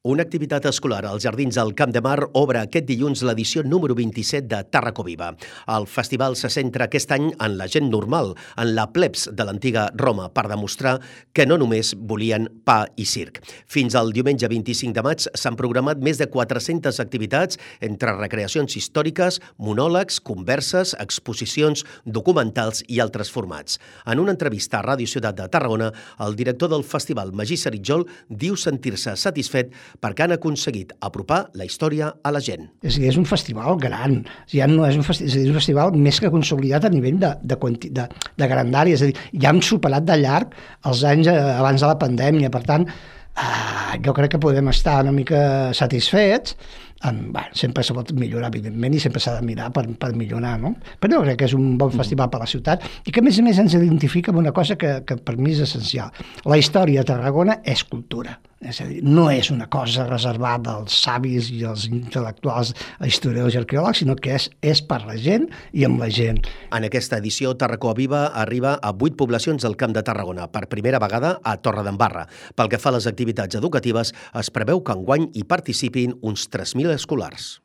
Una activitat escolar als Jardins del Camp de Mar obre aquest dilluns l'edició número 27 de Tàrraco Viva. El festival se centra aquest any en la gent normal, en la plebs de l'antiga Roma, per demostrar que no només volien pa i circ. Fins al diumenge 25 de maig s'han programat més de 400 activitats entre recreacions històriques, monòlegs, converses, exposicions, documentals i altres formats. En una entrevista a Ràdio Ciutat de Tarragona, el director del festival, Magí Saritjol, diu sentir-se satisfet perquè han aconseguit apropar la història a la gent. És un festival gran, ja no és un festival més que consolidat a nivell de grandària, és a dir, ja hem superat de llarg els anys abans de la pandèmia, per tant, jo crec que podem estar una mica satisfets. Sempre se pot millorar, evidentment, i sempre s'ha de mirar per millorar, no? Però jo crec que és un bon festival per a la ciutat i que, a més ens identifica amb una cosa que per mi és essencial. La història de Tarragona és cultura. És a dir, no és una cosa reservada als savis i als intel·lectuals, historiadors i arqueòlegs, sinó que és per la gent i amb la gent. En aquesta edició, Tàrraco Viva arriba a 8 poblacions del Camp de Tarragona, per primera vegada a Torredembarra. Pel que fa a les activitats educatives, es preveu que enguany hi participin uns 3.000 escolars.